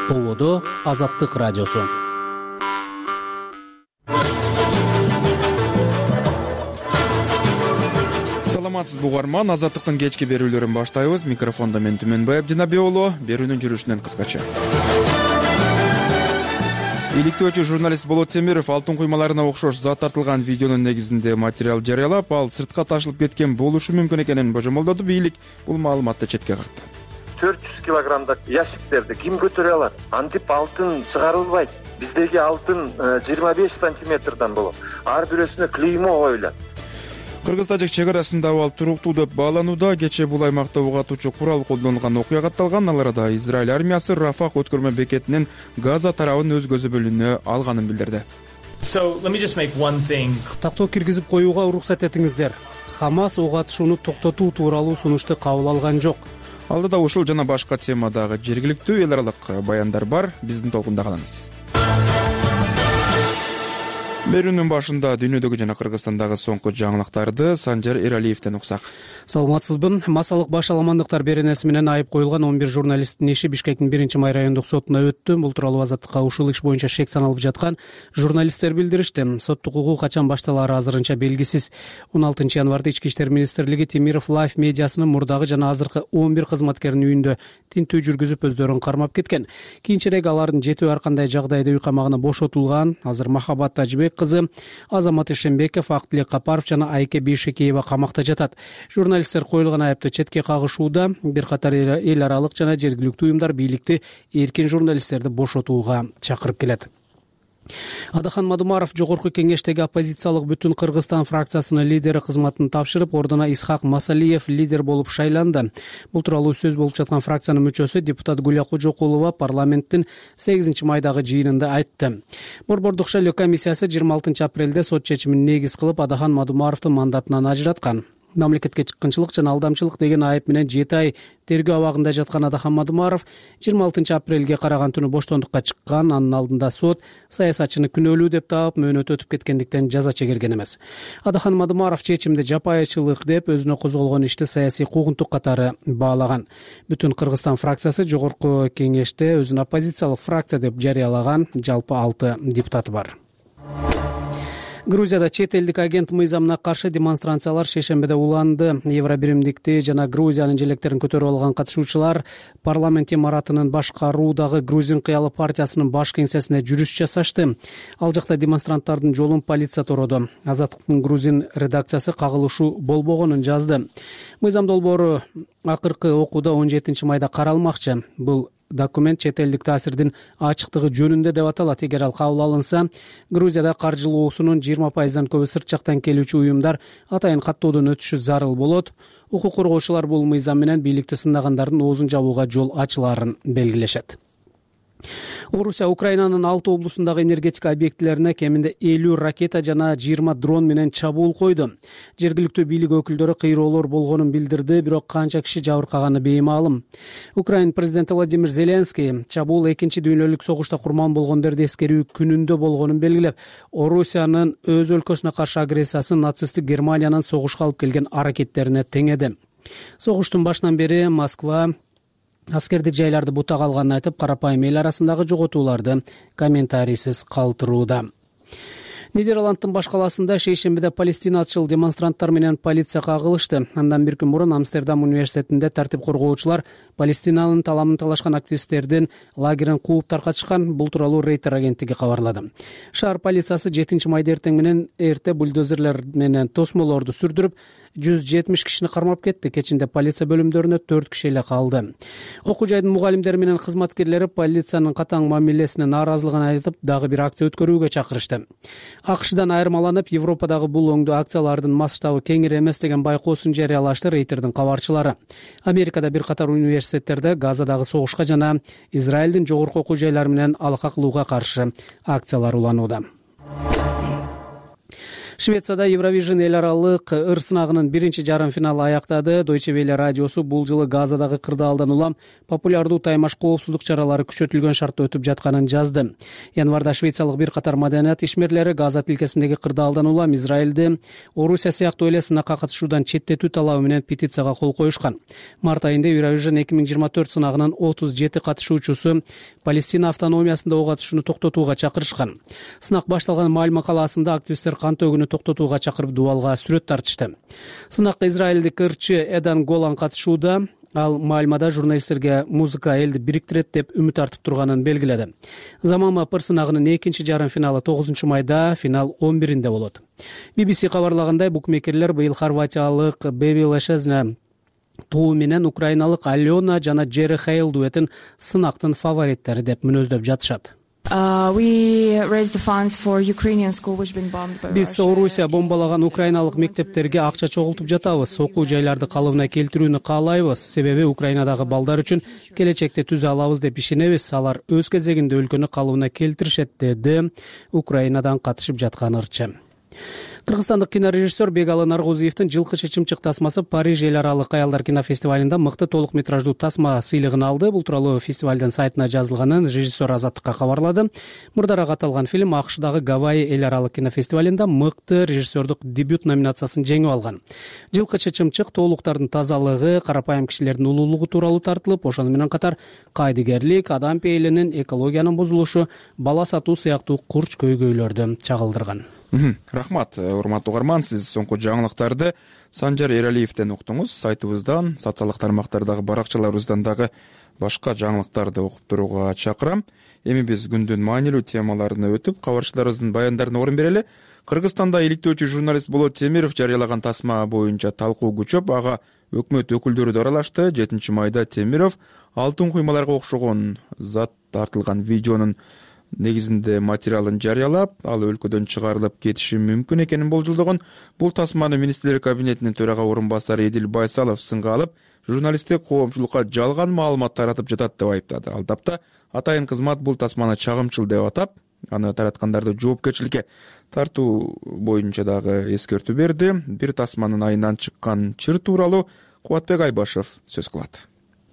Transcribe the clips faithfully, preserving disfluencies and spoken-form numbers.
Ободо Азаттык радиосу. Саламатсызбы угарман, Азаттыктын кечки берүүлөрүн баштайбыз. Микрофондо мен Түмөнбай Абдинабек уулу. Берүүнүн жүрүшүнөн кыскача. Иликтөөчү журналист Болот Темиров алтын куймаларына окшош зат тартылган видеонун негизинде материал жарыялап, ал сыртка ташылып кеткен болушу мүмкүн экенин божомолдоду. Бийлик бул маалыматты четке какты. төрт жүз килограммдык ящиктерди ким көтөрө алат? Антип алтын чыгарылбайт. Биздеги алтын жыйырма беш сантиметрден болот. Ар бирөөсүнө клеймо коюлат. Кыргыз-тажик чек арасында абал туруктуу деп бааланууда. Кечээ бул аймакта ок атуучу курал колдонулган окуя катталган. Ал арада Израиль армиясы Рафах өткөрмө бекетинин Газа тарабын өз көзөбөлүнө алганын билдирди. Тактоо киргизип коюуга уруксат этиңиздер. Хамас ок атышууну токтотуу тууралуу сунушту кабыл алган жок. Алдыда ушул жана башка темадагы жергиликтүү эл аралык баяндар бар. Биздин толкунда калыңыз. Берүүнүн башында дүйнөдөгү жана Кыргызстандагы соңку жаңылыктарды Санжар Эралиевден уксак. Саламатсызбы. Массалык башаламандыктар беренеси менен айып коюлган он бир журналисттин иши Бишкектин биринчи май райондук сотуна өттү. Бул тууралуу Азаттыкка ушул иш боюнча шек саналып жаткан журналисттер билдиришти. Соттук угуу качан башталаары азырынча белгисиз. он алтынчы январда Ички иштер министрлиги Темиров Лайф медиасынын мурдагы жана азыркы он бир кызматкеринин үйүндө тинтүү жүргүзүп өздөрүн кармап кеткен. Кийинчерээк алардын жетөө ар кандай жагдайда үй камагына бошотулган. Азыр Махабат Тажибек кызы, Азамат Ишембеков, Актилек Капаров жана Айке Бейшекеева камакта жатат. Журналисттер коюлган айыпты четке кагышууда. Бир катар эл аралык жана жергиликтүү уюмдар бийликти эркин журналисттерди бошотууга чакырып келет. Адахан Мадумаров жогорку кеңештеги оппозициялык Бүтүн Кыргызстан фракциясынын лидери кызматын тапшырып, ордуна Исхак Масалиев лидер болуп шайланды. Бул тууралуу сөз болуп жаткан фракциянын мүчөсү депутат Гүлия Кожокулова парламенттин сегизинчи майдагы жыйынында айтты. Борбордук шайлоо комиссиясы жыйырма алтынчы апрелде сот чечимин негиз кылып Адахан Мадумаровдун мандатынан ажыраткан. Мамлекетке чыккынчылык жана алдамчылык деген айып менен жети ай тергөө абагында жаткан Адахан Мадумаров жыйырма алтынчы апрелге караган түнү боштондукка чыккан. Анын алдында сот саясатчыны күнөөлүү деп таап, мөөнөтү өтүп кеткендиктен жаза чегерген эмес. Адахан Мадумаров чечимди жапайычылык деп өзүнө козголгон ишти саясий куугунтук катары баалаган. Бүтүн Кыргызстан фракциясы жогорку кеңеште өзүн оппозициялык фракция деп жарыялаган. Жалпы алты депутаты бар. Грузияда чет элдик агент мыйзамына каршы демонстрациялар шейшембиде уланды. Евробиримдикти жана Грузиянын желектерин көтөрүп алган катышуучулар парламент имаратынын башкаруудагы Грузин кыялы партиясынын баш кеңсесине жүрүш жасашты. Ал жакта демонстранттардын жолун полиция тороду. Азаттыктын Грузин редакциясы кагылышуу болбогонун жазды. Мыйзам долбоору акыркы окууда он жетинчи майда каралмакчы. Бул документ чет элдик таасирдин ачыктыгы жөнүндө деп аталат. Эгер ал кабыл алынса, Грузияда каржылоосунун жыйырма пайыздан көбү сырт жактан келүүчү уюмдар атайын каттоодон өтүшү зарыл болот. Укук коргоочулар бул мыйзам менен бийликти сындагандардын оозун жабууга жол ачылаарын белгилешет. Орусия Украинанын алты облусундагы энергетика объектилерине кеминде элүү ракета жана жыйырма дрон менен чабуул койду. Жергиликтүү бийлик өкүлдөрү кыйроолор болгонун билдирди, бирок канча киши жабыркаганы беймаалым. Украин президенти Владимир Зеленский чабуул экинчи дүйнөлүк согушта курман болгондорду эскерүү күнүндө болгонун белгилеп, Орусиянын өз өлкөсүнө каршы агрессиясын нацисттик Германиянын согушка алып келген аракеттерине теңеди. Согуштун башынан бери Москва аскердик жайларды бутага алганын айтып, карапайым эл арасындагы жоготууларды комментарийсиз калтырууда. Нидерландтын баш калаасында шейшембиде палестиначыл демонстранттар менен полиция кагылышты. Андан бир күн мурун Амстердам университетинде тартип коргоочулар Палестинанын таламын талашкан активисттердин лагерин кууп таркатышкан. Бул тууралуу Рейтер агенттиги кабарлады. Шаар полициясы жетинчи майда эртең менен эрте бульдозерлер менен тосмолорду сүрдүрүп, жүз жетимиш кишини кармап кетти. Кечинде полиция бөлүмдөрүнө төрт киши эле калды. Окуу жайдын мугалимдери менен кызматкерлери полициянын катаң мамилесине нааразылыгын айтып, дагы бир акция өткөрүүгө чакырышты. АКШдан айырмаланып, Европадагы бул оңдуу акциялардын масштабы кеңири эмес деген байкоосун жарыялашты Рейтердин кабарчылары. Америкада бир катар университеттерде Газадагы согушка жана Израилдин жогорку окуу жайлары менен алака кылууга каршы акциялар уланууда. Швецияда Евровижн эл аралык ыр сынагынын биринчи жарым финалы аяктады. Deutsche Welle радиосу бул жылы Газадагы кырдаалдан улам популярдуу таймаш коопсуздук чаралары күчөтүлгөн шартта өтүп жатканын жазды. Январда швециялык бир катар маданият ишмерлери Газа тилкесиндеги кырдаалдан улам Израилди Орусия сыяктуу эле сынакка катышуудан четтетүү талабы менен петицияга кол коюшкан. Март айында Евровижн эки миң жыйырма төрт сынагынын отуз жети катышуучусу Палестина автономиясында ок атышууну токтотууга чакырышкан. Сынак башталган Мальма калаасында активисттер кан төгүүнү токтотууга чакырып дубалга сүрөт тартышты. Сынакка израилдик ырчы Эдан Голан катышууда. Ал Мальмада журналисттерге музыка элди бириктирет деп үмүт артып турганын белгиледи. Заманбап ыр сынагынын экинчи жарым финалы тогузунчу майда, финал он биринде болот. би би си кабарлагандай, букмекерлер быйыл хорватиялык Беби Лешезне туу менен украиналык Алена жана Джерри Хейл дуэтин сынактын фавориттери деп мүнөздөп жатышат. Биз Орусия бомбалаган украиналык мектептерге акча чогултуп жатабыз. Окуу жайларды калыбына келтирүүнү каалайбыз. Себеби Украинадагы балдар үчүн келечекте түзө алабыз деп ишенебиз. Алар өз кезегинде өлкөнү калыбына келтиришет, деди Украинадан катышып жаткан ырчы. Кыргызстандык кинорежиссер Бегалы Наргузиевдин жылкы чечимчик тасмасы Париж эл аралык аялдар кинофестивалында мыкты толук метраждуу тасма сыйлыгын алды. Бул тууралуу фестивалдын сайтына жазылганын режиссер Азаттыкка кабарлады. Мурдараак аталган фильм АКШдагы Гавайи эл аралык кинофестивалында мыкты режиссердук дебют номинациясын жеңип алган. Жылкы чечимчик тоолуктардын тазалыгы, карапайым кишилердин улуулугу тууралуу тартылып, ошону менен катар кайдыгерлик, адам пейилинин, экологиянын бузулушу, бала сатуу сыяктуу курч көйгөйлөрдү чагылдырган. Рахмат, урматтуу угарман, сиз соңку жаңылыктарды Санжар Эралиевден уктуңуз. Сайтыбыздан, социалдык тармактардагы баракчаларыбыздан дагы башка жаңылыктарды окуп турууга чакырам. Эми биз күндүн маанилүү темаларына өтүп, кабарчыларыбыздын баяндарына орун берели. Кыргызстанда иликтөөчү журналист Болот Темиров жарыялаган тасма боюнча талкуу күчөп, ага өкмөт өкүлдөрү да аралашты. жетинчи майда Темиров алтын куймаларга окшогон зат тартылган видеонун негизинде материалын жарыялап, ал өлкөдөн чыгарылып кетиши мүмкүн экенин болжолдогон. Бул тасманы министрлер кабинетинин төрага орун басары Эдил Байсалов сынга алып, журналисттик коомчулукка жалган маалымат таратып жатат деп айыптады. Ал тапта атайын кызмат бул тасманы чагымчыл деп атап, аны тараткандарды жоопкерчиликке тартуу боюнча дагы эскертүү берди. Бир тасманын айынан чыккан чыр тууралуу Кубатбек Айбашев сөз кылат.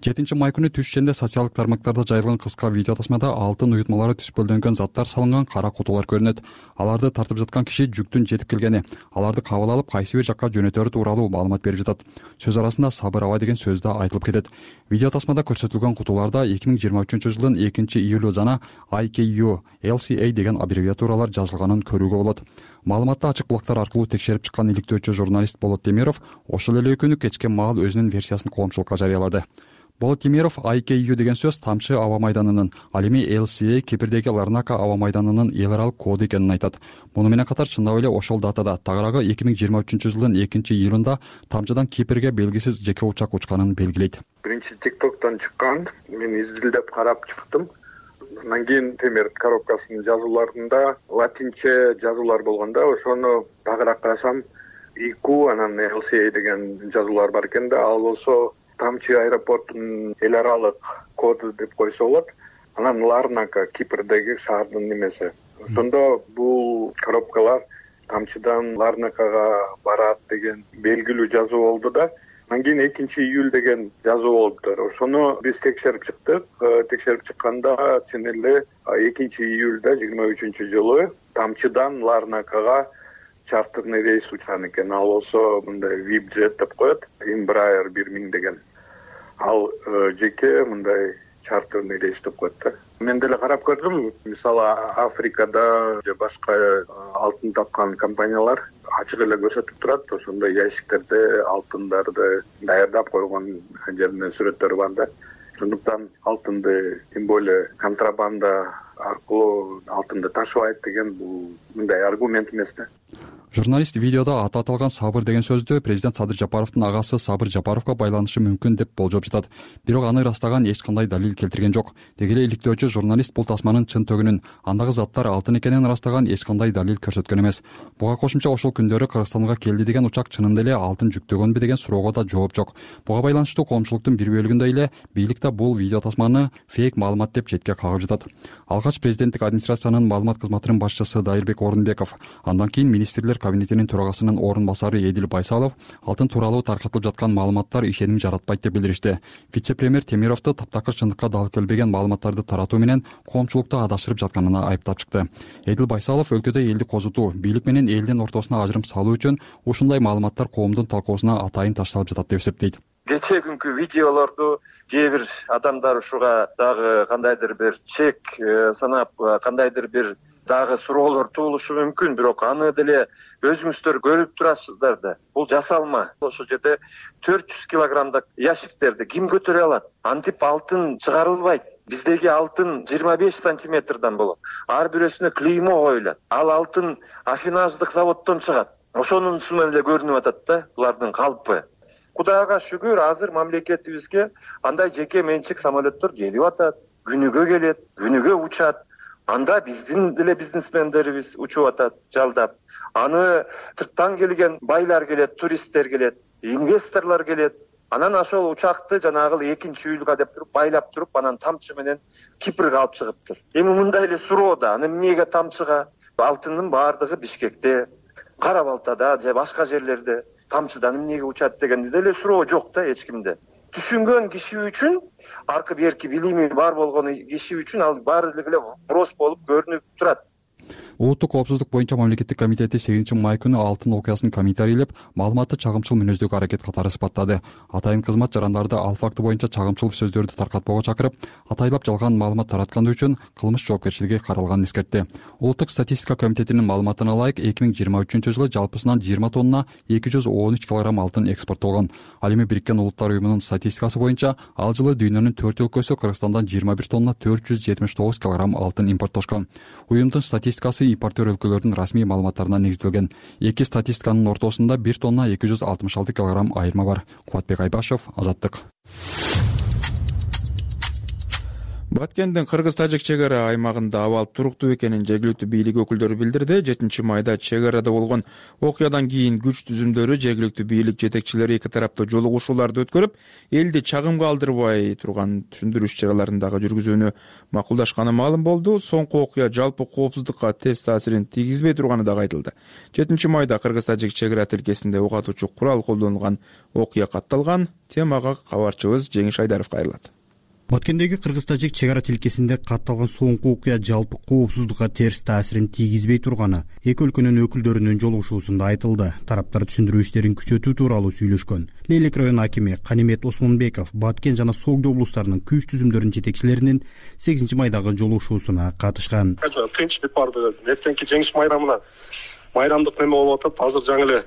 жетинчи май күнү түш ичинде социалдык тармактарда жайылган кыска видео тасмада алтын уютмалары түспөлдөнгөн заттар салынган кара кутулар көрүнөт. Аларды тартып жаткан киши жүктүн жетип келгени, аларды кабыл алып кайсы бир жакка жөнөтөрү тууралуу маалымат берип жатат. Сөз арасында сабыр аба деген сөз да айтылып кетет. Видео тасмада көрсөтүлгөн кутуларда эки миң жыйырма үчүнчү жылдын экинчи июлу жана ай кей ю эл си эй деген аббревиатуралар жазылганын көрүүгө болот. Маалыматты ачык булактар аркылуу текшерип чыккан иликтөөчү журналист Болот Темиров ошол эле күнү кечке маал өзүнүн версиясын коомчулукка жарыялады. Болот Темиров ай кей ю деген сөз Тамчы аба майданынын, ал эми эл си эй Кипрдеги Ларнака аба майданынын эл аралык коду экенин айтат. Муну менен катар чындап эле ошол датада, тагыраагы эки миң жыйырма үчүнчү жылдын экинчи июлунда Тамчыдан Кипрге белгисиз жеке учак учканын белгилейт. Биринчи тиктоктон чыккан, мен изилдеп карап чыктым. Андан кийин темир коробкасынын жазууларында латинче жазуулар болгондо, ошону дагыраак карасам ику анан эл си эй деген жазуулар бар экен да, ал болсо Тамчы аэропортунун эл аралык коду деп койсо болот. Анан Ларнака Кипрдеги шаардын немеси. Ошондо бул коробкалар Тамчыдан Ларнакага барат деген белгилүү жазуу болду да. Анан кийин экинчи июль деген жазуу болуптур. Ошону биз текшерип чыктык. Текшерип чыкканда чын эле экинчи июлда жыйырма үчүнчү жылы Тамчыдан Ларнакага чартерный рейс учкан экен. Ал болсо мындай Випджет деп коет, Embraer бир миң деген. Ал жеке мындай чартерный рейс деп коет да. Мен деле карап көрдүм. Мисалы Африкада же башка алтын тапкан компаниялар ачык эле көрсөтүп турат. Ошондо ящиктерде алтындарды даярдап койгон жеринен сүрөттөрү бар да. Ошондуктан алтынды, тем более контрабанда аркылуу алтынды ташыбайт деген бул мындай аргумент эмес да. Журналист видеода аты аталган Сабыр деген сөздү президент Садыр Жапаровдун агасы Сабыр Жапаровго байланышы мүмкүн деп болжоп жатат. Бирок аны ырастаган эч кандай далил келтирген жок. Деги эле иликтөөчү журналист бул тасманын чын төгүнүн, андагы заттар алтын экенин ырастаган эч кандай далил көрсөткөн эмес. Буга кошумча ошол күндөрү Кыргызстанга келди деген учак чынында эле алтын жүктөгөнбү деген суроого да жооп жок. Буга байланыштуу коомчулуктун бир бөлүгүндө эле бийлик да бул видео тасманы фейк маалымат деп четке кагып жатат. Алгач президенттик администрациянын маалымат кызматынын башчысы Дайырбек Орунбеков, андан кийин министрлер кабинетинин төрагасынын орун басары Эдил Байсалов алтын тууралуу таркатылып жаткан маалыматтар ишеним жаратпайт деп билдиришти. Вице-премьер Темировду таптакыр чындыкка дал келбеген маалыматтарды таратуу менен коомчулукту адашырып жатканына айыптап чыкты. Эдил Байсалов өлкөдө элди козутуу, бийлик менен элдин ортосуна ажырым салуу үчүн ушундай маалыматтар коомдун талкуусуна атайын ташталып жатат деп эсептейт. Кечээ күнкү видеолорду кээ бир адамдар ушуга дагы кандайдыр бир чек санап, кандайдыр бир дагы суроолор туулушу мүмкүн, бирок аны деле өзүңүздөр көрүп турасыздар да. Бул жасалма. Ошол жерде төрт жүз килограммдык ящиктерди ким көтөрө алат? Антип алтын чыгарылбайт. Биздеги алтын жыйырма беш сантиметрден болот. Ар бирөөсүнө клеймо коюлат. Ал алтын афинаждык заводдон чыгат. Ошонун менен эле көрүнүп атат да булардын калпы. Кудайга шүгүр, азыр мамлекетибизге андай жеке менчик самолеттор келип атат. Күнүгө келет, күнүгө учат. Анда биздин деле бизнесмендерибиз учуп атат, жалдап. Аны сырттан келген байлар келет, туристтер келет, инвесторлор келет. Анан ошол учакты жанагы экинчи июлга деп туруп байлап туруп, анан тамчы менен Кипрге алып чыгыптыр. Эми мындай эле суроо да, аны эмнеге тамчыга? Алтындын баардыгы Бишкекте, Кара Балтада же башка жерлерде тамчыдан эмнеге учат деген деле суроо жок да эч кимде. Түшүнгөн киши үчүн, аркы берки билими бар болгон киши үчүн ал баардыгы эле вопрос болуп көрүнүп турат. Улуттук коопсуздук боюнча мамлекеттик комитети сегизинчи май күнү алтын окуясын комментарийлеп, маалыматты чагымчыл мүнөздөгү аракет катары сыпаттады. Атайын кызмат жарандарды ал факты боюнча чагымчыл сөздөрдү таркатпоого чакырып, атайлап жалган маалымат таратканы үчүн кылмыш жоопкерчилиги каралганын эскертти. Улуттук статистика комитетинин маалыматына ылайык, эки миң жыйырма үчүнчү жылы жалпысынан жыйырма тонна эки жүз он үч килограмм алтын экспорттолгон. Ал эми Бириккен Улуттар уюмунун статистикасы боюнча ал жылы дүйнөнүн төрт өлкөсү Кыргызстандан жыйырма бир тонна төрт жүз жетимиш тогуз килограмм алтын импорттошкон. Уюмдун статистикасы импортер өлкөлөрдүн расмий маалыматтарына негизделген. Эки статистиканын ортосунда бир тонна эки жүз алтымыш алты килограмм айырма бар. Кубатбек Айбашев, Азаттык. Баткендин кыргыз-тажик чек ара аймагында абал туруктуу экенин жергиликтүү бийлик өкүлдөрү билдирди. жетинчи майда чек арада болгон окуядан кийин күч түзүмдөрү жергиликтүү бийлик жетекчилери эки тарапта жолугушууларды өткөрүп, элди чагымга алдырбай турган түшүндүрүү иш-чараларын дагы жүргүзүүнү макулдашканы маалым болду. Соңку окуя жалпы коопсуздукка терс таасирин тийгизбей турганы дагы айтылды. жетинчи майда кыргыз-тажик чек ара тилкесинде ок атуучу курал колдонулган окуя катталган. Темага кабарчыбыз Жеңиш Айдаров кайрылат. Баткендеги кыргыз-тажик чек ара тилкесинде катталган соңку окуя жалпы коопсуздукка терс таасирин тийгизбей турганы эки өлкөнүн өкүлдөрүнүн жолугушуусунда айтылды. Тараптар түшүндүрүү иштерин күчөтүү тууралуу сүйлөшкөн. Лейлек район акими Канимет Осмонбеков Баткен жана Согдо облустарынын күч түзүмдөрүнүн жетекчилеринин сегизинчи майдагы жолугушуусуна катышкан. Тынчтык бар бүгүн. Эртеңки жеңиш майрамына майрамдык неме болуп атат. Азыр жаңы эле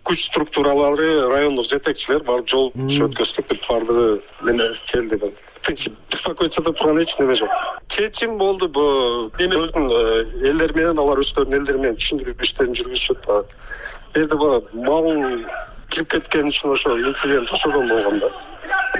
күч структуралары, райондук жетекчилер барып жол өткөздүк деп баардыгы эме келди деп. Тынч беспокоиться деп турган эч неме жок. Чечим болду. Бу эме өзүнүн элдер менен, алар өздөрүнүн элдери менен түшүндүрүү иштерин жүргүзүшөт. Бу жерде бу мал кирип кеткен үчүн ошо инцидент ошодон болгон да.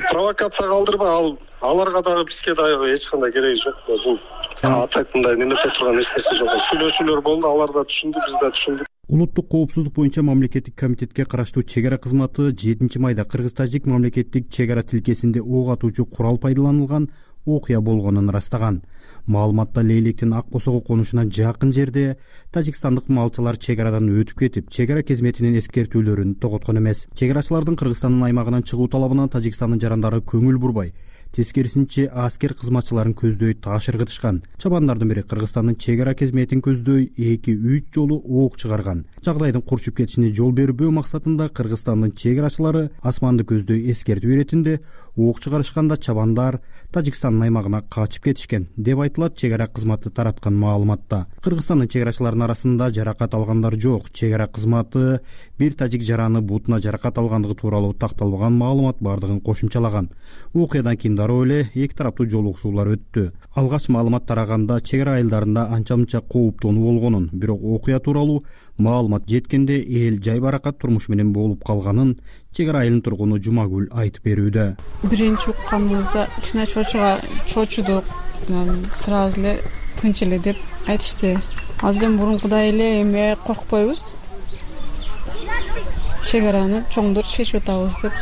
Провокация калтырбай, ал аларга дагы бизге дагы эч кандай кереги жок. Бул атайтындай немете турган эч нерсе жок. Сүйлөшүүлөр болду, алар да түшүндү, биз да түшүндүк. Улуттук коопсуздук боюнча мамлекеттик комитетке караштуу чек ара кызматы жетинчи майда кыргыз-тажик мамлекеттик чек ара тилкесинде ок атуучу курал пайдаланылган окуя болгонун ырастаган. Маалыматта Лейлектин Ак Босого конушуна жакын жерде тажикстандык малчылар чек арадан өтүп кетип, чек ара кызметинин эскертүүлөрүн тоготкон эмес. Чек арачылардын Кыргызстандын аймагынан чыгуу талабына Тажикстандын жарандары көңүл бурбай, тескерисинче аскер кызматчыларын көздөй таш ыргытышкан. Чабандардын бири Кыргызстандын чек ара кызметин көздөй эки үч жолу ок чыгарган. Жагдайдын курчуп кетишине жол бербөө максатында Кыргызстандын чек арачылары асманды көздөй эскертүү иретинде ок чыгарышканда чабандар Тажикстандын аймагына качып кетишкен деп айтылат чек ара кызматы тараткан маалыматта. Кыргызстандын чек арачыларынын арасында жаракат алгандар жок. Чек ара кызматы бир тажик жараны бутуна жаракат алгандыгы тууралуу такталбаган маалымат бардыгын кошумчалаган. Окуядан кийин дароо эле эки тараптуу жолугушуулар өттү. Алгач маалымат тараганда чек ара айылдарында анча-мынча кооптонуу болгонун, бирок окуя тууралуу маалымат жеткенде эл жайбаракат турмуш менен болуп калганын чек ара айылынын тургуну Жумагүл айтып берүүдө. Биринчи укканыбызда кичине чочуга чочудук, сразу эле тынч эле деп айтышты. Азыр эми мурункудай эле эме коркпойбуз. Чек араны чоңдор чечип атабыз деп,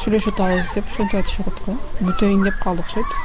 сүйлөшүп атабыз деп ошентип айтышып атат го. Бүтөйүн деп калдык окшойт.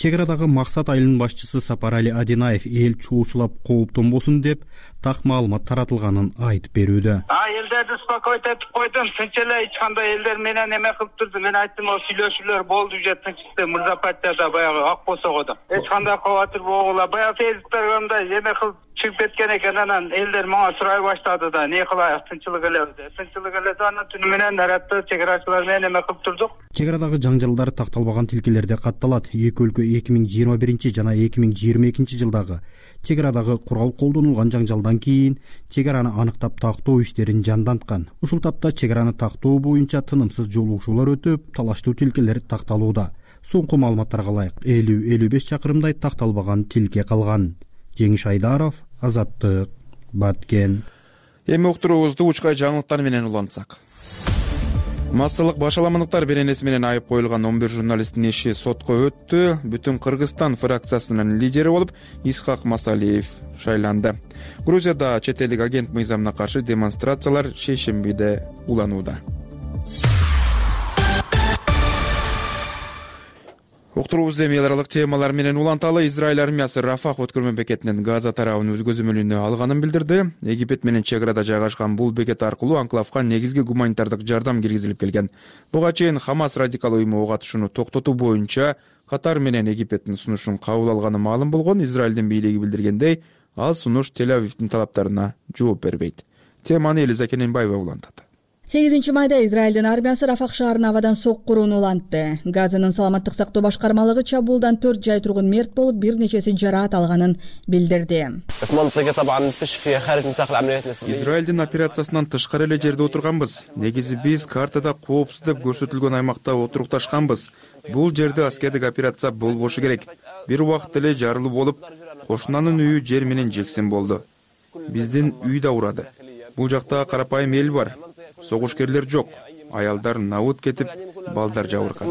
чек арадагы Максат айылынын башчысы Сапарали Адинаев эл чоочулап кооптонбосун деп так маалымат таратылганын айтып берүүдө. Элдерди успокоить этип койдум, тынч эле эч кандай элдер менен эме кылып турду. Мен айттым, о сүйлөшүүлөр болду же тынчтыкта Мырзапатияда баягы ак босогодо. Эч кандай кабатыр болгула. Баягы Фейсбукта эме кылып чыгып кеткен экен, анан элдер мага сурай баштады да, не кылайык, тынчылык эле деп. Тынчылык эле анан түнү менен наратты чек арачылар менен эме кылып турдук. Чек арадагы жаңжалдар такталбаган тилкелерде катталат. Эки өлкө эки миң жыйырма биринчи жана эки миң жыйырма экинчи жылдагы чек арадагы курал колдонулган жаңжалдан кийин чек араны аныктап тактоо иштерин жанданткан. Ушул тапта чек араны тактоо боюнча тынымсыз жолугушуулар өтүп, талаштуу тилкелер такталууда. Соңку маалыматтарга ылайык элүү элүү беш чакырымдай такталбаган тилке калган. Жеңиш Айдаров, Азаттык, Баткен. Эми уктуруубузду учкай жаңылыктар менен улантсак. Массалык башаламандыктар беренеси менен айып коюлган он бир журналисттин иши сотко өттү. Бүтүн Кыргызстан фракциясынын лидери болуп Исхак Масалиев шайланды. Грузияда чет элдик агент мыйзамына каршы демонстрациялар шейшембиде уланууда. Уктуруубузду эми эл аралык темалар менен уланталы. Израиль армиясы Рафах өткөрмө бекетинен Газа тарабын өз көзөмөлүнө алганын билдирди. Египет менен чек арада жайгашкан бул бекет аркылуу анклавга негизги гуманитардык жардам киргизилип келген. Буга чейин Хамас радикал уюму ок атышууну токтотуу боюнча Катар менен Египеттин сунушун кабыл алганы маалым болгон. Израилдин бийлиги билдиргендей, ал сунуш Тель-Авивдин талаптарына жооп бербейт. Теманы Элиза Кененбаева улантат. сегизинчи майда Израилдин армиясы Рафах шаарына абадан соккурууну улантты. Газанын саламаттык сактоо башкармалыгы чабуулдан төрт жай тургун мерт болуп, бир нечеси жараат алганын билдирди. Израилдин операциясынан тышкары эле жерде отурганбыз. Негизи биз картада коопсуз деп көрсөтүлгөн аймакта отурукташканбыз. Бул жерде аскердик операция болбошу керек. Бир убакыт эле жарылуу болуп, кошунанын үйү жер менен жексен болду. Биздин үй да урады. Бул жакта карапайым эл бар. Согушкерлер жок. Аялдар набут кетип, балдар жабыркады.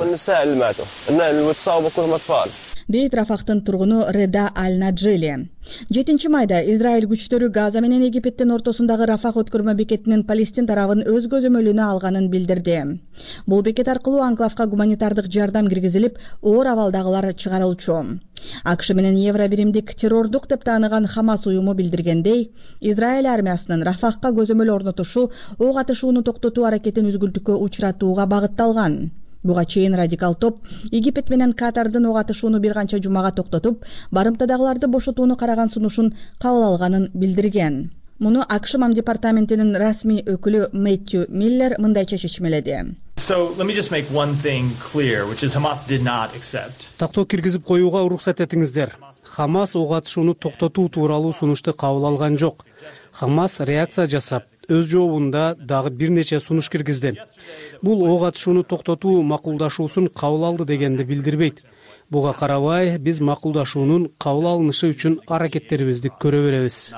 Дейт Рафахтын тургуну Реда Аль-Наджели. жетинчи майда Израиль күчтөрү Газа менен Египеттин ортосундагы Рафах өткөрмө бекетинин Палестин тарабын өз көзөмөлүнө алганын билдирди. Бул бекет аркылуу анклавга гуманитардык жардам киргизилип, оор абалдагылар чыгарылчу. АКШ менен Евробиримдик террордук деп тааныган Хамас уюму билдиргендей, Израиль армиясынын Рафахка көзөмөл орнотушу ок атышууну токтотуу аракетин үзгүлтүккө учуратууга багытталган. Буга чейин радикал топ Египет менен Катардын ок атышууну бир канча жумага токтотуп, барымтадагыларды бошотууну караган сунушун кабыл алганын билдирген. Муну АКШ Мам департаментинин расмий өкүлү Мэттью Миллер мындайча чечмеледи. Тактоо киргизип коюуга уруксат этиңиздер. Хамас ок атышууну токтотуу тууралуу сунушту кабыл алган жок. Хамас реакция жасап, өз жообунда дагы бир нече сунуш киргизди. Бул ок атышууну токтотуу макулдашуусун кабыл алды дегенди билдирбейт. Буга карабай, биз макулдашуунун кабыл алынышы үчүн аракеттерибизди көрө беребиз.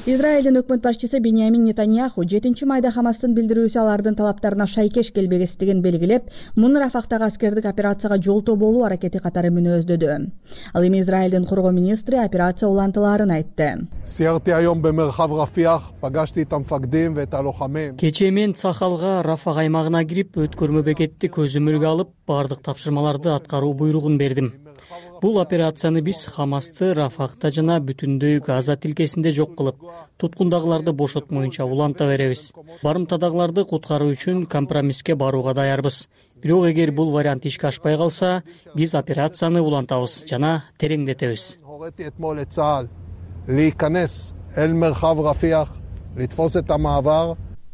Израилдин өкмөт башчысы Биньямин Нетаньяху жетинчи майда Хамастын билдирүүсү алардын талаптарына шайкеш келбегестигин белгилеп, муну Рафахтагы аскердик операцияга жолтоо болуу аракети катары мүнөздөдү. Ал эми Израилдин коргоо министри операция улантылаарын айтты. Кечээ мен Сахалга Рафах аймагына кирип, өткөрмө бекетти көзөмөлгө алып, бардык тапшырмаларды аткаруу буйругун бердим. Бул операцияны биз Хамасты Рафахта жана бүтүндөй Газа тилкесинде жок кылып, туткундагыларды бошотмоюнча уланта беребиз. Барымтадагыларды куткаруу үчүн компромисске барууга даярбыз. Бирок эгер бул вариант ишке ашпай калса, биз операцияны улантабыз жана тереңдетебиз.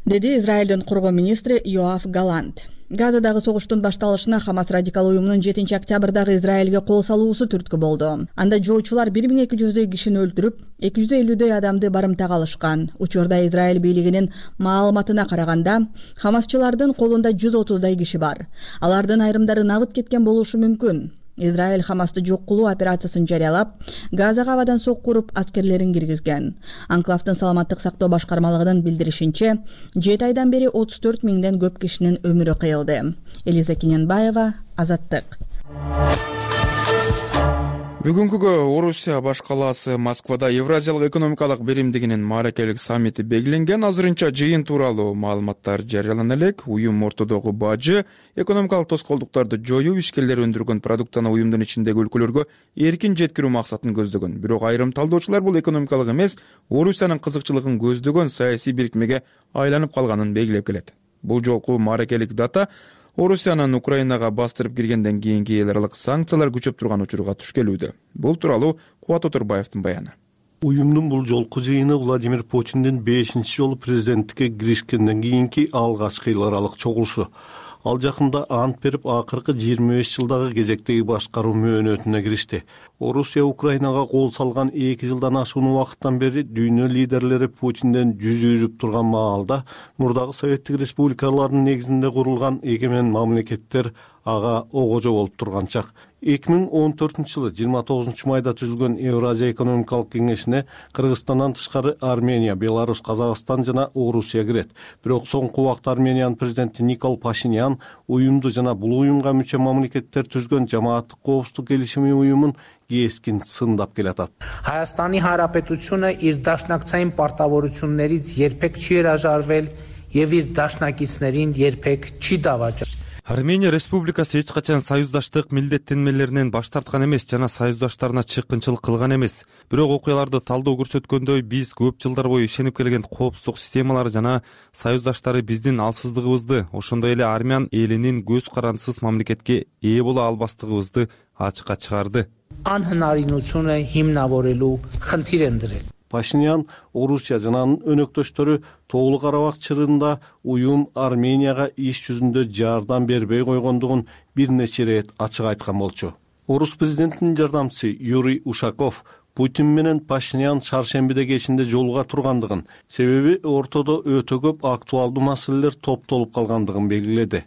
Деди Израилдин коргоо министри Йоав Галант. Газадагы согуштун башталышына Хамас радикал уюмунун жетинчи октябрдагы Израилге кол салуусу түрткү болду. Анда жоочулар бир миң эки жүздөй кишини өлтүрүп, эки жүз элүүдөй адамды барымтага алышкан. Учурда Израиль бийлигинин маалыматына караганда, Хамасчылардын колунда жүз отуздай киши бар. Алардын айрымдары набыт кеткен болушу мүмкүн. Израиль Хамасты жок кылуу операциясын жарыялап, Газага абадан соккуруп аскерлерин киргизген. Анклавдын саламаттык сактоо башкармалыгынын билдиришинче, жети айдан бери отуз төрт миңден көп кишинин өмүрү кыйылды. Элиза Кененбаева, Азаттык. Бүгүнкүгө Орусия баш калаасы Москвада Евразиялык экономикалык биримдигинин мааракелик саммити белгиленген. Азырынча жыйын тууралуу маалыматтар жарыялана элек. Уюм ортодогу бажы, экономикалык тоскоолдуктарды жоюп, ишкерлер өндүргөн продукцияны уюмдун ичиндеги өлкөлөргө эркин жеткирүү максатын көздөгөн. Бирок айрым талдоочулар бул экономикалык эмес, Орусиянын кызыкчылыгын көздөгөн саясий бирикмеге айланып калганын белгилеп келет. Бул жолку мааракелик дата Орусиянын Украинага бастырып киргенден кийинки эл аралык санкциялар күчөп турган учурга туш келүүдө. Бул тууралуу Кубат Отурбаевдин баяны. Уюмдун бул жолку жыйыны Владимир Путиндин бешинчи жолу президенттикке киришкенден кийинки алгачкы эл аралык чогулушу. Ал жакында ант берип, акыркы жыйырма беш жылдагы кезектеги башкаруу мөөнөтүнө киришти. Орусия Украинага кол салган эки жылдан ашуун убакыттан бери дүйнө лидерлери Путинден жүз үйрүп турган маалда мурдагы Советтик республикалардын негизинде курулган эгемен мамлекеттер ага огожо болуп турган чак. эки миң он төртүнчү жылы жыйырма тогузунчу майда түзүлгөн Евразия экономикалык кеңешине Кыргызстандан тышкары Армения, Беларусь, Казакстан жана Орусия кирет. Бирок соңку убакта Армениянын президенти Никол Пашинян уюмду жана бул уюмга мүчө мамлекеттер түзгөн жамааттык коопсуздук келишими уюмун кескин сындап келатат. Հայաստանի Հանրապետությունը իր դաշնակցային պարտավորություններից երբեք չի հրաժարվել եւ իր դաշնակիցներին երբեք չի դավաճել. Армения Республикасы эч качан союздаштык милдеттенмелеринен баш тарткан эмес жана союздаштарына чыккынчылык кылган эмес. Бирок окуяларды талдоо көрсөткөндөй, биз көп жылдар бою ишенип келген коопсуздук системалары жана союздаштары биздин алсыздыгыбызды, ошондой эле армян элинин көз карандысыз мамлекетке ээ боло албастыгыбызды ачыкка чыгарды. Անհնարինությունը հիմնավորելու խնդիր են դրել. Пашинян Орусия жана анын өнөктөштөрү Тоолу Карабак чырында уюм Арменияга иш жүзүндө жардам бербей койгондугун бир нече ирет ачык айткан болчу. Орус президентинин жардамчысы Юрий Ушаков Путин менен Пашинян чаршембиде кечинде жолуга тургандыгын, себеби ортодо өтө көп актуалдуу маселелер топтолуп калгандыгын белгиледи.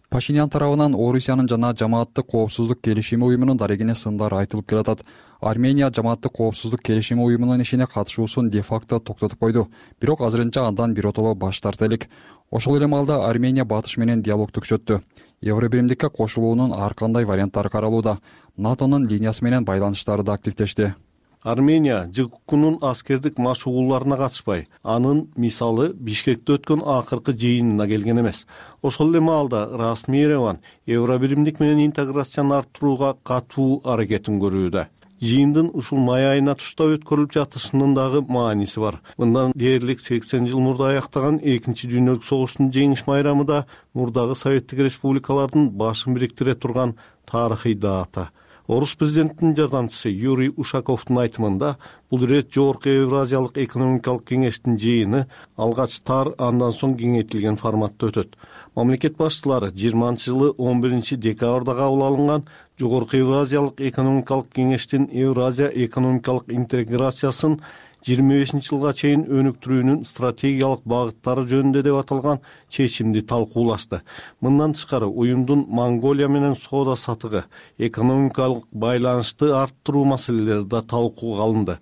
Пашинян тарабынан Орусиянын жана жамааттык коопсуздук келишими уюмунун дарегине сындар айтылып келатат. Армения жамааттык коопсуздук келишими уюмунун ишине катышуусун де-факто токтотуп койду. Бирок азырынча андан биротоло баш тарта элек. Ошол эле маалда Армения батыш менен диалогду күчөттү. Евробиримдикке кошулуунун ар кандай варианттары каралууда. НАТОнун линиясы менен байланыштары да активдешти. Армения ЖККнун аскердик машыгууларына катышпай, анын мисалы Бишкекте өткөн акыркы жыйынына келген эмес. Ошол эле маалда расмий Ереван Евробиримдик менен интеграцияны арттырууга катуу аракетин көрүүдө. Жыйындын ушул май айына туштап өткөрүлүп жатышынын дагы мааниси бар. Мындан дээрлик сексен жыл мурда аяктаган экинчи дүйнөлүк согуштун жеңиш майрамы да мурдагы Советтик республикалардын башын бириктире турган тарыхый дата. Орус президентинин жардамчысы Юрий Ушаковдун айтымында бул ирет жогорку Евразиялык экономикалык кеңештин жыйыны алгач тар, андан соң кеңейтилген форматта өтөт. Мамлекет башчылары жыйырманчы жылы он биринчи декабрда кабыл алынган жогорку Евразиялык экономикалык кеңештин Евразия экономикалык интеграциясын жыйырма бешинчи жылга чейин өнүктүрүүнүн стратегиялык багыттары жөнүндө деп аталган чечимди талкуулашты. Мындан тышкары уюмдун Монголия менен соода сатыгы, экономикалык байланышты арттыруу маселелери да талкууга алынды.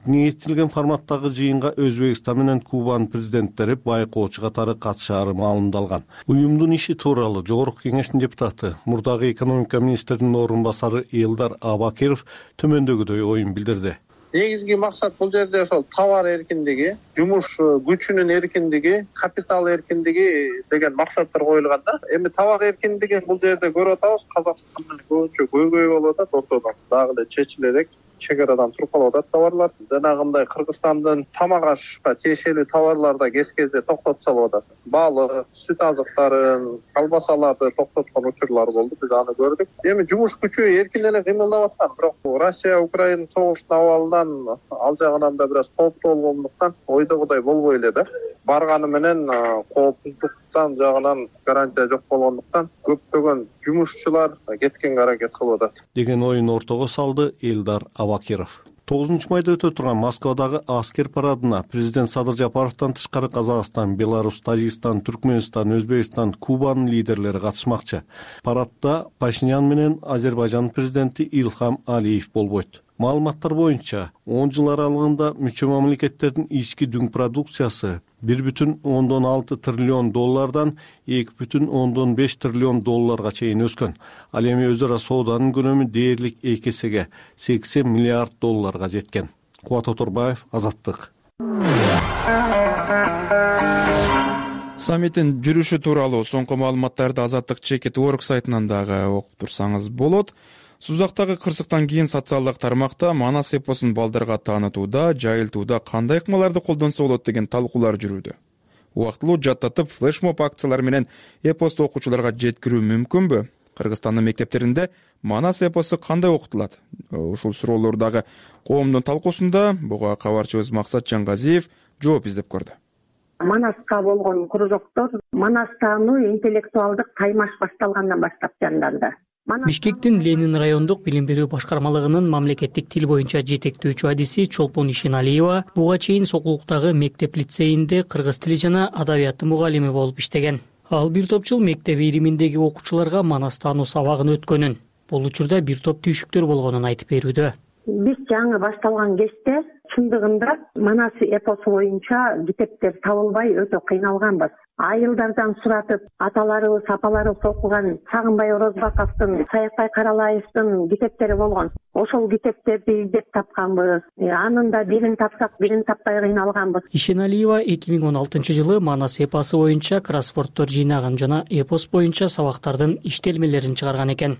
Кеңейтилген форматтагы жыйынга Өзбекстан менен Кубанын президенттери байкоочу катары катышаары маалымдалган. Уюмдун иши тууралуу жогорку кеңештин депутаты, мурдагы экономика министринин орун басары Элдар Абакиров төмөндөгүдөй оюн билдирди. Негизги максат бул жерде ошол товар эркиндиги, жумуш күчүнүн эркиндиги, капитал эркиндиги деген максаттар коюлган да. Эми товар эркиндигин бул жерде көрүп атабыз, Казакстанда көбүнчө көйгөй болуп атат, ортодон дагы эле чечиле элек. Чегарадан туруп калып атат товарлар. Жанагындай Кыргызстандын тамак ашка тиешелүү товарларда кез-кезде токтотуп салып атат. Балы, сүт азыктарын, колбасаларды токтоткон учурлар болду, биз аны көрдүк. Эми жумуш күчү эркин эле кыймылдап аткан, бирок Россия Украина согуштун абалынан ал жагынан да бир аз кооптуу болгондуктан ойдогудай болбой эле да. Барганы менен коопсуздуктан жагынан гарантия жок болгондуктан көптөгөн жумушчулар кеткенге аракет кылып атат деген оюн ортого салды Элдар Абакиров. тогузунчу майда өтө турган Москвадагы аскер парадына президент Садыр Жапаровдон тышкары Казакстан, Беларусь, Тажикстан, Түркмөнстан, Өзбекстан, Кубанын лидерлери катышмакчы. Парадда Пашинян менен Азербайжан президенти Илхам Алиев болбойт. Маалыматтар боюнча он жыл аралыгында мүчө мамлекеттердин ички дүң продукциясы бир бүтүн ондон алты триллион доллардан эки бүтүн ондон беш триллион долларга чейин өскөн. Ал эми өз ара сооданын көлөмү дээрлик эки эсеге сексен миллиард долларга жеткен. Кубат Оторбаев, Азаттык. Саммиттин жүрүшү тууралуу соңку маалыматтарды Азаттык Чекит Орг сайтынан дагы окуп турсаңыз болот. Сузактагы кырсыктан кийин социалдык тармакта Манас эпосун балдарга таанытууда, жайылтууда кандай ыкмаларды колдонсо болот деген талкуулар жүрүүдө. Убактылуу жаттатып, флешмоб акциялар менен эпосту окуучуларга жеткирүү мүмкүнбү? Кыргызстандын мектептеринде Манас эпосу кандай окутулат? Ушул суроолор дагы коомдун талкуусунда. Буга кабарчыбыз Максат Жангазиев жооп издеп көрдү. Манаска болгон кружоктор Манастануу интеллектуалдык таймаш башталгандан баштап жанданды. Бишкектин Ленин райондук билим берүү башкармалыгынын мамлекеттик тил боюнча жетектөөчү адиси Чолпон Ишеналиева буга чейин Сокулуктагы мектеп лицейинде кыргыз тили жана адабияты мугалими болуп иштеген. Ал бир топ жыл мектеп ириминдеги окуучуларга Манастануу сабагын өткөнүн, бул учурда бир топ түйшүктөр болгонун айтып берүүдө. Биз жаңы башталган кезде чындыгында Манас эпосу боюнча китептер табылбай өтө кыйналганбыз. Айылдардан суратып, аталарыбыз, апаларыбыз окуган Сагынбай Орозбаковдун, Саякбай Каралаевдин китептери болгон. Ошол китептерди издеп тапканбыз. Анын да бирин тапсак, бирин таппай кыйналганбыз. Ишеналиева эки миң он алтынчы жылы Манас эпосу боюнча кроссворддор жыйнаган жана эпос боюнча сабактардын иштелмелерин чыгарган экен.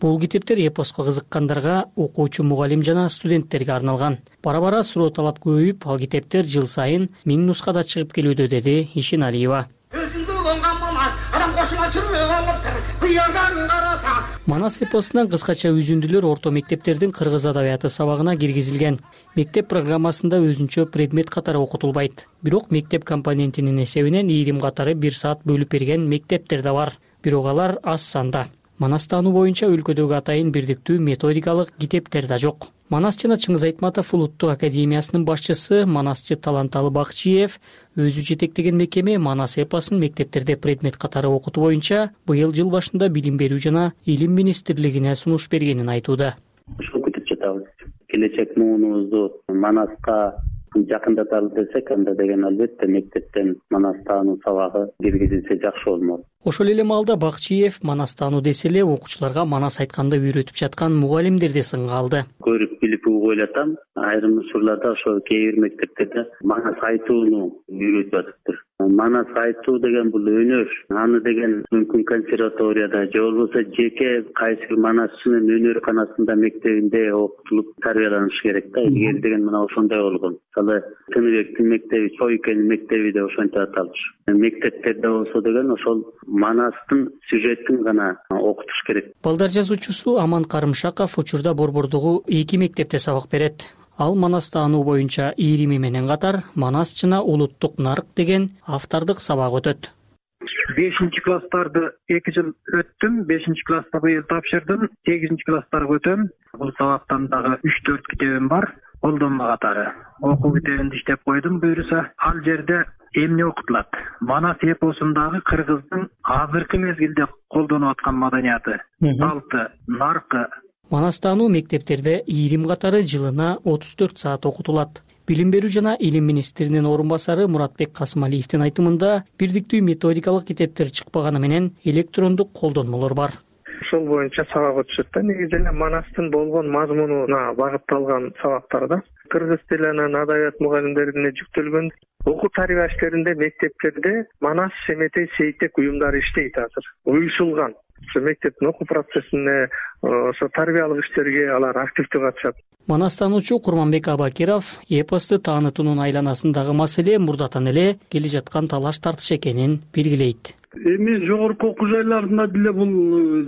Бул китептер эпоско кызыккандарга, окуучу мугалим жана студенттерге арналган. Бара-бара суроо талап көбөйүп, ал китептер жыл сайын миң нускада чыгып келүүдө, деди Ишеналиева. Манас эпосунан кыскача үзүндүлөр орто мектептердин кыргыз адабияты сабагына киргизилген. Мектеп программасында өзүнчө предмет катары окутулбайт. Бирок мектеп компонентинин эсебинен ийрим катары бир саат бөлүп берген мектептер да бар. Бирок алар аз санда. Манастануу боюнча өлкөдөгү атайын бирдиктүү методикалык китептер да жок. Манас жана Чыңгыз Айтматов улуттук академиясынын башчысы Манасчы Таланталы Бакчиев өзү жетектеген мекеме Манас эпосун мектептерде предмет катары окутуу боюнча быйыл жыл башында билим берүү жана илим министрлигине сунуш бергенин айтууда. Ушул күтүп жатабыз. Келечек муунубузду Манаска жакындаталы десек, анда деген албетте мектептен Манастануу сабагы киргизилсе жакшы болмок. Ошол эле маалда Бакчиев Манастануу десе эле окуучуларга Манас айтканда үйрөтүп жаткан мугалимдерди сынга алды. Көрүп билип угуп ойлотам, айрым учурларда ошо кээ бир мектептерде Манас айтууну үйрөтүп атыптыр. Манас айтуу деген бул өнөр. Аны деген мүмкүн консерваторияда же болбосо жеке кайсы бир Манасчынын өнөрканасында мектебинде окутулуп тарбияланыш керек да. Илгери деген мына ошондой болгон. Мисалы Тыныбектин мектеби, Чойкенин мектеби да ошентип аталыш. Мектептерде болсо деген ошол Манастын сюжетин гана окутуш керек. Балдар жазуучусу Аман Карымшаков учурда Борбордогу эки мектепте сабак берет. Ал Манастануу боюнча ийрими менен катар Манас жана улуттук нарк деген автордук сабак өтөт. бешинчи класстарды эки жыл өттүм, бешинчи класста быйыл тапшырдым, сегизинчи класстарга өтөм. Бул сабактан дагы үч төрт китебим бар, колдонма катары. Окуу китебинди иштеп койдум буюрса. Ал жерде эмне окутулат? Манас эпосундагы кыргыздын азыркы мезгилде колдонуп аткан маданияты, салты, наркы. Манастануу мектептерде ийрим катары жылына отуз төрт саат окутулат. Билим берүү жана илим министринин орун басары Муратбек Касымалиевдин айтымында бирдиктүү методикалык китептер чыкпаганы менен электрондук колдонмолор бар. Ошол боюнча сабак өтүшөт да. Негизи эле Манастын болгон мазмунуна багытталган сабактарда кыргыз тили анан адабият мугалимдерине жүктөлгөн. Окуу тарбия иштеринде мектептерде Манас, Шеметей, Сейтек уюмдары иштейт азыр. Уюшулган. Ошо мектептин окуу процессине, ошо тарбиялык иштерге алар активдүү катышат. Манастануучу Курманбек Абакиров эпосту таанытуунун айланасындагы маселе мурдатан эле келе жаткан талаш тартыш экенин белгилейт. Эми жогорку окуу жайларында деле бул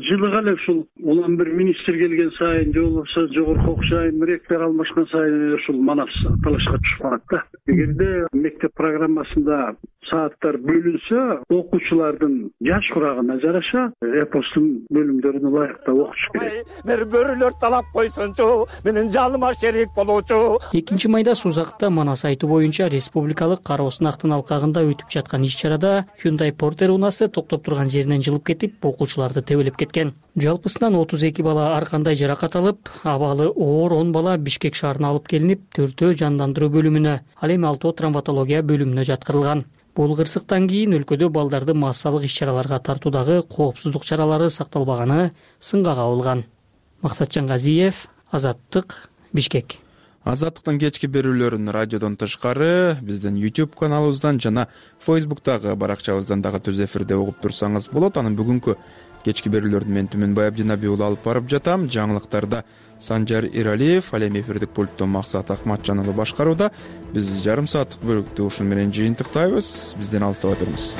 жылыга эле ушул улам бир министр келген сайын же болбосо жогорку окуу жайын ректор алмашкан сайын ушул Манас талашка түшүп калат да. Эгерде мектеп программасында сааттар бөлүнсө, окуучулардын жаш курагына жараша эпостун бөлүмдөрүн ылайыктап окутуш керек. Бир бөрүлөр талап койсончу, менин жаныма шерик болуучу. экинчи майда Сузакта Манас айтуу боюнча республикалык кароо сынактын алкагында өтүп жаткан иш-чарада Hyundai Porter унаасы машинасы токтоп турган жеринен жылып кетип, окуучуларды тебелеп кеткен. Жалпысынан отуз эки бала ар кандай жаракат алып, абалы оор он бала Бишкек шаарына алып келинип, төртөө жандандыруу бөлүмүнө, ал эми алтоо травматология бөлүмүнө жаткырылган. Бул кырсыктан кийин өлкөдө балдарды массалык иш-чараларга тартуудагы коопсуздук чаралары сакталбаганы сынга кабылган. Максатжан Газиев, Азаттык, Бишкек. Азаттыктын кечки берүүлөрүн радиодон тышкары биздин YouTube каналыбыздан жана Facebook'тагы баракчабыздан дагы түз эфирде угуп турсаңыз болот. Анын бүгүнкү кечки берүүлөрүн мен Түмөнбай Абдинаби уулу алып барып жатам. Жаңылыктарда Санжар Иралиев, ал эми эфирдик пульттон Максат Акматжан уулу башкарууда. Биз жарым сааттык бөлүктү ушун менен жыйынтыктайбыз. Бизден алыстабай туруңуз.